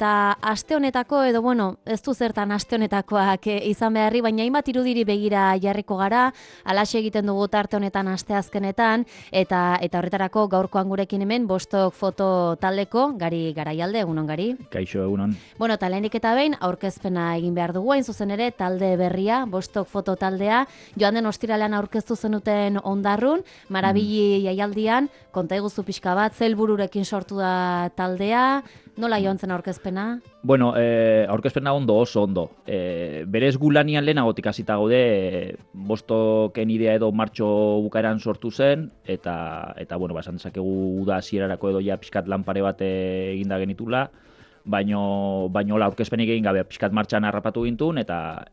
Ta aste honetako, edo bueno, ez du zertan aste honetakoak izan beharri, baina hainbat irudiri begira jarriko gara, alaxe egiten dugu tarte honetan asteazkenetan, eta horretarako gaurkoan gurekin hemen Bostok foto taldeko, Gari Garaialde, egunon Gari. Kaixo, egunon. Bueno, eta lehenik eta behin, aurkezpena egin behar dugu, hain zuzen ere, talde berria, Bostok foto taldea, joan den ostiralean aurkeztu zenuten Ondarrun, Marabili jaialdian, konta iguzu pixka bat, ze helbururekin sortu da taldea, nola joan zen aurkezpena? Bueno, aurkezpena oso ondo. Berez gu lanian lehenagotik hasita gaude, Bostoken idea edo martxo bukaeran sortu zen, eta bueno, esan dezakegu uda hasierarako edo ja pixkat lanpare bat eginda genitula, baino la aurkezpenik egin gabe pixkat martxan harrapatu gintun, eta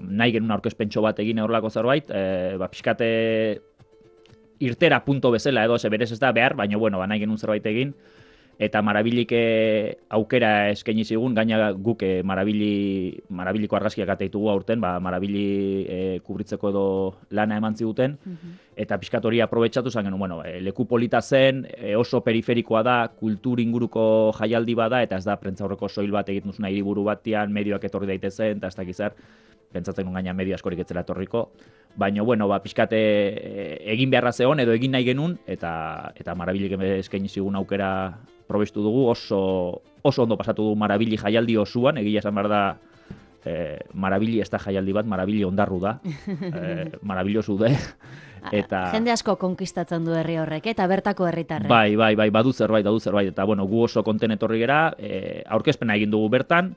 nahi genuen aurkezpentxo bat egin horrelako zerbait, pixkat irtera punto bezala edo, berez ez da behar, baina bueno, nahi genuen zerbait egin, eta Marabilik aukera eskaini zigun, gaina guk Marabiliko argazkiak ateitugu aurten, Marabili kubritzeko edo lana eman ziguten, eta pixkat hori aprobetxatu zen genuen, bueno, leku polita zen, oso periferikoa da, kultur inguruko jaialdi bada, eta ez da prentzaurreko soil bat egiten duzuna hiriburu batian, medioak etorri daitezen, eta ez dakizar, pentsatzen nuen gaina medio askorik etzela etorriko, baina, bueno, pixkat egin beharra zegoen, edo egin nahi genuen, eta Marabilik eskaini zigun aukera probestu dugu, oso ondo pasatu du Marabili jaialdi osoan, egia esan behar da, Marabili ez da jaialdi bat, Marabili Ondarru da, marabillosu da, eta... Jende asko konkistatzen du herri horrek, eta bertako herritarrek. Bai, badu zerbait, eta bueno, gu oso konten etorri gera, aurkezpena egin dugu bertan,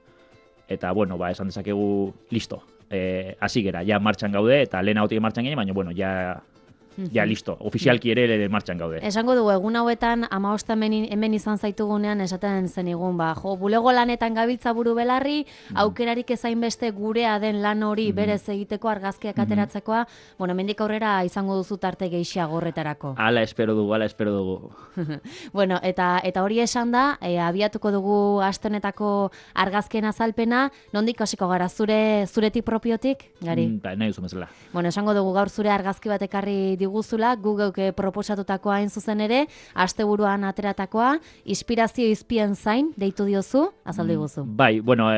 eta bueno, esan dezakegu, listo, hasi gera, ja martxan gaude, eta lehen hautik martxan ginen, baina bueno, ja listo, ofizialki ere martxan gaude. Esango dugu, egun hauetan, 15 hemen izan zaitugunean esaten zenigun, bulego lanetan gabiltza buru belarri, aukerarik ezain beste gurea den lan hori berez egiteko argazkiak ateratzekoa, bueno, hemendik aurrera izango duzu tarte gehiago horretarako. Hala espero dugu. Bueno, eta hori esan da, abiatuko dugu aste honetako argazkien azalpena, nondik hasiko gara, zuretik propiotik, Gari? Nahi duzu bezala. Bueno, esango dugu gaur zure argazki bat ekarri diguzula, Googleuk proposatutakoa hain zuzen ere, asteburuan ateratakoa, inspirazio izpien zain, deitu diozu, azaldu diguzu. Bai, bueno,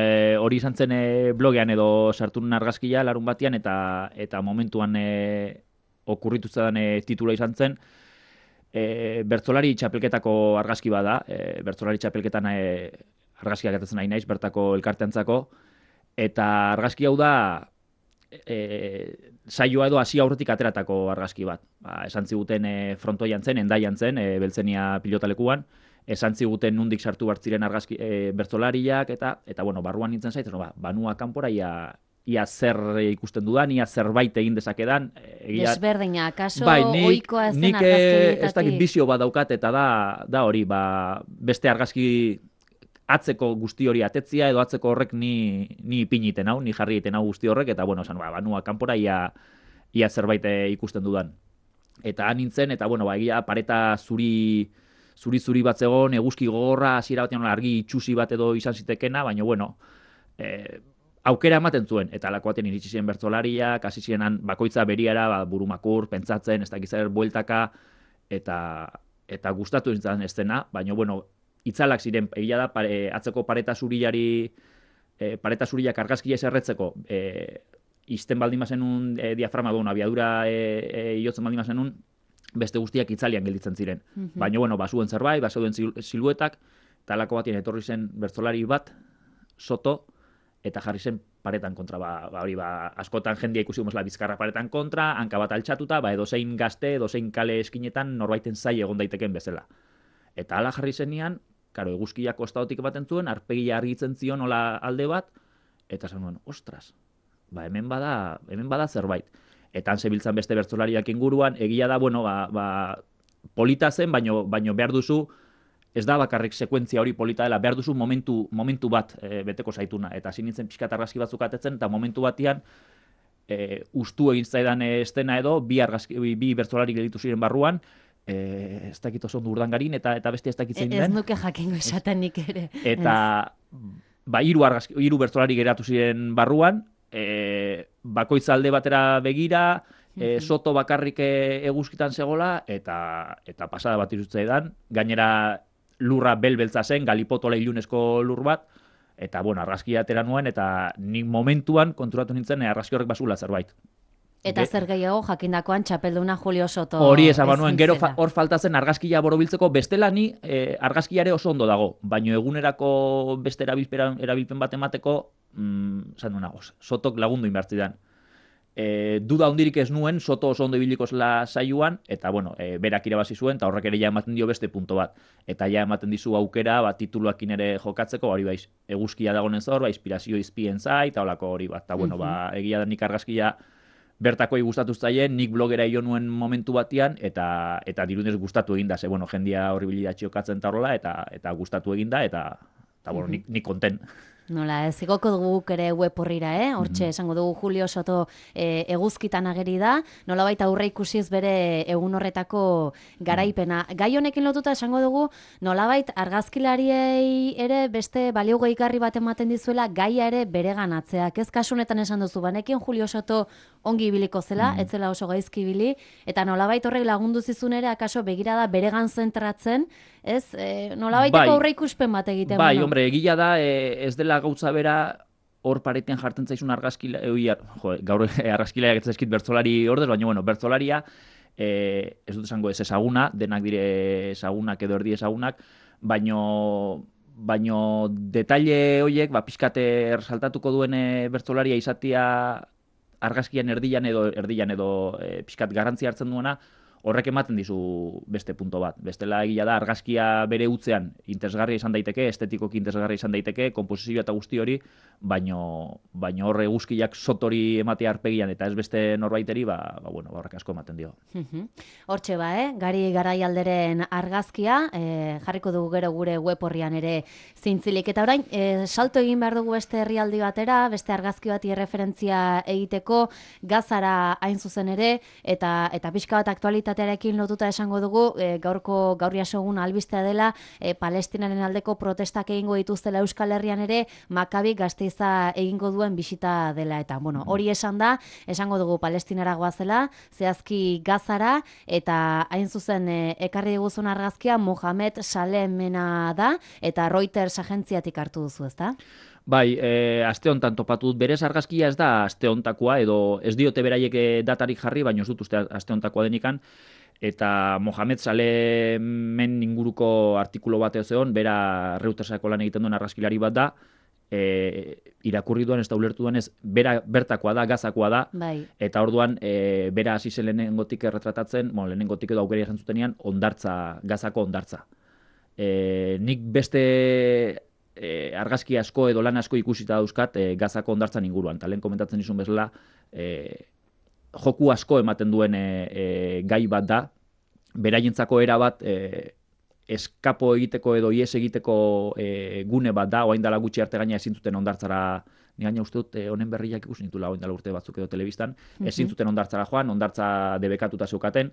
hori izan zen blogean edo sartu nuen argazkia larun batean, eta momentuan okurritu zedan titula izan zen, bertsolari txapelketako argazki bada, bertsolari txapelketan argazkiak atatzen nahi naiz, bertako elkarteantzako, eta argazki hau da, saioa edo hasi aurretik ateratako argazki bat. Esan ziguten frontoian zen, endaian zen, Beltzenia pilotalekuan, esan ziguten nundik sartu bartziren argazki bertsolariak, eta bueno, barruan nintzen zaitzen, banua kanpora, ia zer ikusten dudan, ia zerbait egin dezakedan. Desberdina, kaso ohikoa ez den argazkietatik. Nik ez dakit bizio bat daukat, eta da hori, beste argazki atzeko guzti hori atetzia, edo atzeko horrek ni ipiniten hau, ni jarri egiten hau guzti horrek, eta bueno, banua kanpora ia zerbait ikusten dudan. Eta han nintzen, eta bueno, egia pareta zuri bat zegoen, eguzki gogorra, hasiera batean argi itxusi bat edo izan zitekena, baina bueno, aukera ematen zuen, eta alako batean iritsi ziren bertsolariak, hasi zirenan bakoitza beriara, burumakur, pentsatzen, ez dakizer bueltaka, eta gustatu nintzen ez dena, baina bueno, itzalak ziren, egia da, atzeko pareta zuriak argazkia eserretzeko, izten baldin bazenun diafragma duen, abiadura iotzen baldin bazenun, beste guztiak itzalian gelditzen ziren. Baina, bueno, bazuen zerbait, bazuen siluetak, talako batien etorri zen bertsolari bat, soto, eta jarri zen paretan kontra. Askotan jendia ikusi gomezla bizkarra paretan kontra, hanka bat altxatuta, edozein gazte, edozein kale eskinetan norbaiten zai egon daiteken bezala. Eta hala jarri zenian, eguzkiak kostaotik ematen zuen, arpegia argitzen zion hola alde bat, eta esan nuen, ostras, hemen bada zerbait. Eta han zebiltzan beste bertsolariak inguruan, egia da, bueno, polita zen, baino behar duzu, ez da bakarrik sekuentzia hori polita dela, behar duzu momentu bat beteko zaituna. Eta hasi nintzen pixkat argazki batzuk atetzen, eta momentu batean, ustu egin zaidan estena edo, bi bertsolari gelditu ziren barruan, ez dakit oso ondo Urdangarin, eta beste ez dakit zein den. Ez nuke jakingo esaten nik ere. Eta hiru bertsolari geratu ziren barruan, bakoitza alde batera begira, soto bakarrik eguzkitan zegola, eta pasada bat irutzea edan. Gainera, lurra belbeltza zen, galipotola ilunezko lur bat, eta, bueno, argazkia atera nuen, eta nik momentuan konturatu nintzen argazki horrek basula zerbait. Eta zer gehiago jakindakoan txapelduna Julio Soto. Hori esan banuen, gero hor faltatzen argazkia borobiltzeko, bestela ni argazkiare oso ondo dago, baino egunerako beste erabilpen bat emateko, zan duena, Sotok lagundu inbertzidan. Duda hondirik ez nuen, Soto oso ondo ibiliko zela saioan, eta bueno, berak irabazi zuen, eta horrek ere ja ematen dio beste punto bat. Eta ja ematen dizu aukera, tituluakin ere jokatzeko, hori baiz, eguzkia dagoen zor, inspirazio izpien zait, eta holako hori bat. Eta bueno, egia da nik argazkia bertakoi gustatu zaien, nik blogera jo nuen momentu batean, eta dirudez gustatu eginda, ze bueno, jendia hori bilidatxio katzen eta horrela, eta gustatu eginda, eta bueno, nik konten. Nola, ez igoko dugu ere web horrira, hortxe esango dugu Julio Soto eguzkitan ageri da, nola baita aurre ikusiz bere egun horretako garaipena. Gai honekin lotuta esango dugu, nola baita argazkilariei ere beste balio gehigarri bat ematen dizuela gaia ere bere ganatzeak. Ez kasunetan esan duzu, banekin Julio Soto ongi ibiliko zela, ez zela oso gaizki ibili, eta nola baita horrek lagundu zizun ere, akaso begirada beregan zentratzen, ez? Nola baiteko aurre ikuspen bat egiten. Bai, hombre, egia da, ez dela gauza bera hor paretean jartzen zaizun argazkilaria, gaur argazkilaria ez eskit bertzolari ordez, baina bueno, bertzolaria ez dut esango ez ezaguna, denak dire ezagunak edo erdi ezagunak, baino detaile horiek, pixkate ersaltatuko duen bertzolaria izatea argazkian erdian edo pixkat garrantzia hartzen duena, horrek ematen dizu beste punto bat. Bestela egia da, argazkia bere utzean interesgarria izan daiteke, estetikoki interesgarria izan daiteke, komposizioa eta guzti hori, baino horre eguzkiak Sotori ematea arpegian eta ez beste norbaiteri, bueno, horrek asko ematen dio. Hortxe Gari Garaialderen argazkia, jarriko dugu gero gure web horrian ere zintzilik. Eta orain, salto egin behar dugu beste herrialdi batera, beste argazki bati referentzia egiteko, Gazara hain zuzen ere, eta pixka bat aktualitatearekin lotuta esango dugu, gaurria sogun albistea dela, Palestinaren aldeko protestak egingo dituztela Euskal Herrian ere, Makabi Gasteiza egingo duen bisita dela. Eta, bueno, hori esan da, esango dugu Palestinara goazela, zehazki Gazara, eta hain zuzen ekarri diguzun argazkia Mohamed Salemena da, eta Reuters agentziatik hartu duzu, ezta? Bai, aste hontan topatu dut, berez argazkia ez da aste hontakoa, edo ez diote beraiek datarik jarri, baina ez dut uste aste hontakoa denikan, eta Mohamed Salemen inguruko artikulo bat ezeon, bera Reutersako lan egiten duen argazkilari bat da, irakurri duan ez da ulertu duan ez, bera bertakoa da, Gazakoa da, bai. Eta orduan bera hasi zen lehenengotik erretratatzen, lehenengotik edo aukera jantzutenean, Gazako ondartza. Nik beste argazki asko edo lan asko ikusita dauzkat Gazako ondartzan inguruan. Eta lehen komentatzen izun bezala, joku asko ematen duen gai bat da, beraientzako era bat eskapo egiteko edo ies egiteko gune bat da, oain dala gutxi arte gaina ezin zuten ondartzara, ni gaina uste dut honen berriak ikusi nitula oain dala urte batzuk edo telebistan, ezin zuten ondartzara joan, ondartza debekatuta zeukaten,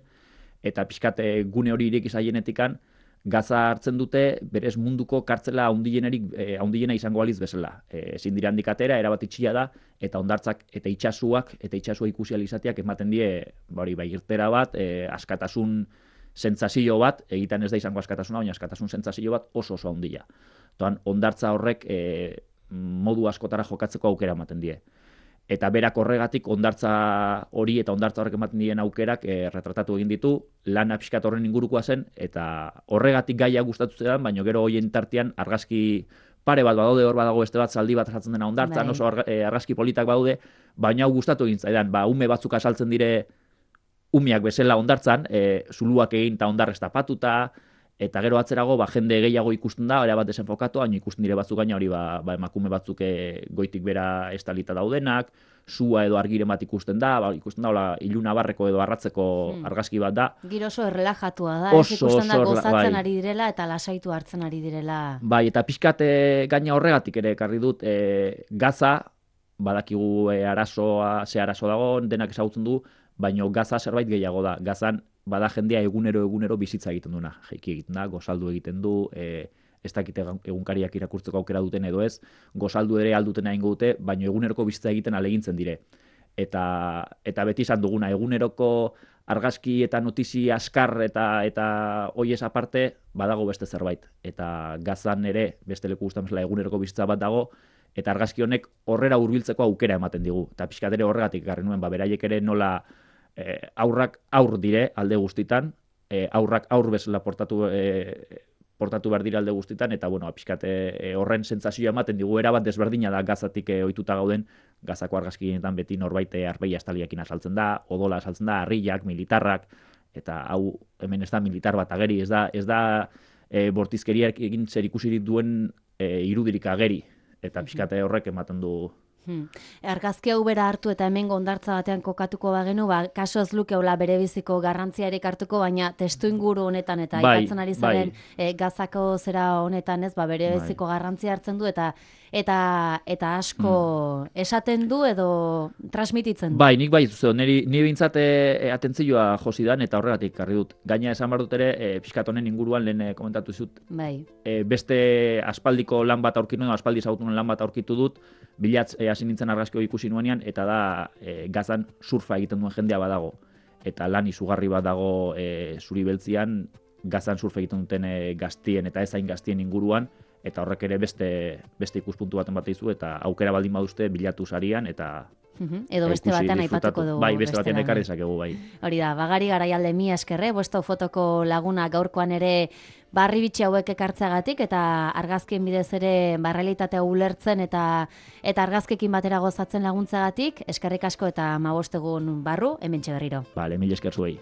eta pixkat gune hori ireki zaienetikan, Gaza hartzen dute, berez munduko kartzela haundiena izango aliz bezala. Ezin dira handik atera, erabat itxia da, eta ondartzak eta itxasua ikusi alizateak ematen die, irtera bat, askatasun sentsazio bat, egiten ez da izango askatasuna, baina askatasun sentsazio bat oso handia. Toan, ondartza horrek modu askotara jokatzeko aukera ematen die. Eta berak horregatik ondartza hori eta ondartza horrek ematen dien aukerak retratatu egin ditu, lana pixkat horren ingurukoa zen, eta horregatik gaia gustatu zedan, baina gero hoien tartean argazki pare bat badaude, hor badago beste bat zaldi bat jartzen dena ondartzan, oso argazki politak badaude, baina hau gustatu egin zaidan, ume batzuk asaltzen dire umeak bezala ondartzan, zuluak egin eta ondarrez tapatuta, eta gero atzerago jende gehiago ikusten da, era bat desenfokatu, baina ikusten dire batzuk gaina hori emakume batzuk goitik bera estalita daudenak, sua edo argiren bat ikusten da iluna barreko edo arratzeko argazki bat da. Giro oso errelajatua da, ez ikusten da gozatzen ari direla eta lasaitu hartzen ari direla. Bai, eta pixkat gaina horregatik ere ekarri dut, Gaza, badakigu ze arazo dago, denak ezagutzen du, baina Gaza zerbait gehiago da. Gazan bada jendea egunero bizitza egiten duena. Jaiki egiten da, gozaldu egiten du, ez dakite egunkariak irakurtzeko aukera duten edo ez, gozaldu ere alduten egingo dute, baina eguneroko bizitza egiten alegintzen dire. eta beti izan duguna, eguneroko argazki eta notizia askar eta hoiez aparte badago beste zerbait. Eta Gazan ere beste leku guztan bezala eguneroko bizitza bat dago, eta argazki honek horrera hurbiltzeko aukera ematen digu. Eta pixkat ere horregatik ekarri nuen, beraiek ere nola aurrak aur dire alde guztitan, aurrak aur bezala portatu behar dira alde guztitan, eta bueno, pixkat horren sentsazioa ematen digu, erabat desberdina da Gazatik ohituta gauden, Gazako argazkietan beti norbait arbeia estaliakin azaltzen da, odola azaltzen da, harriak, militarrak, eta hau hemen ez da militar bat ageri, ez da bortizkeriak egin zer ikusirik duen irudirik ageri, eta pixkat horrek ematen du. Argazki hau bera hartu eta hemen hondartza batean kokatuko bagenu, kaso ez lukeola bere biziko garrantziarik hartuko, baina testu inguru honetan eta aipatzen ari zaren Gazako zera honetan ez, bere biziko garrantzia hartzen du eta asko esaten du edo transmititzen du. Bai, nik bai, ni bintzat atentzioa josidan eta horregatik karri dut. Gaina esan behar dut ere, pixkat honen inguruan lehen komentatu zut, beste aspaldiko lan bat aurkitu nuen, aspaldi zautunen lan bat aurkitu dut, bilatz hasi nintzen argazki ikusi nuenean, eta da Gazan surfa egiten duen jendea badago. Eta lan izugarri bat dago zuri beltzian, Gazan surfa egiten duten gaztien eta ezain gaztien inguruan, eta horrek ere beste ikuspuntu baten bat izu, eta aukera baldin baduzte bilatu sarian, eta edo beste batean aipatuko dugu. Bai, beste batean ekarri dezakegu, bai. Hori da, Bagari Garaialde mi eskerre, Bosto fotoko laguna gaurkoan ere barri bitxi hauek ekartzeagatik eta argazkien bidez ere realitatea ulertzen eta argazkekin batera gozatzen laguntzagatik, eskerrik asko eta 15 egun barru, hementxe berriro. Bale, mil esker zuei.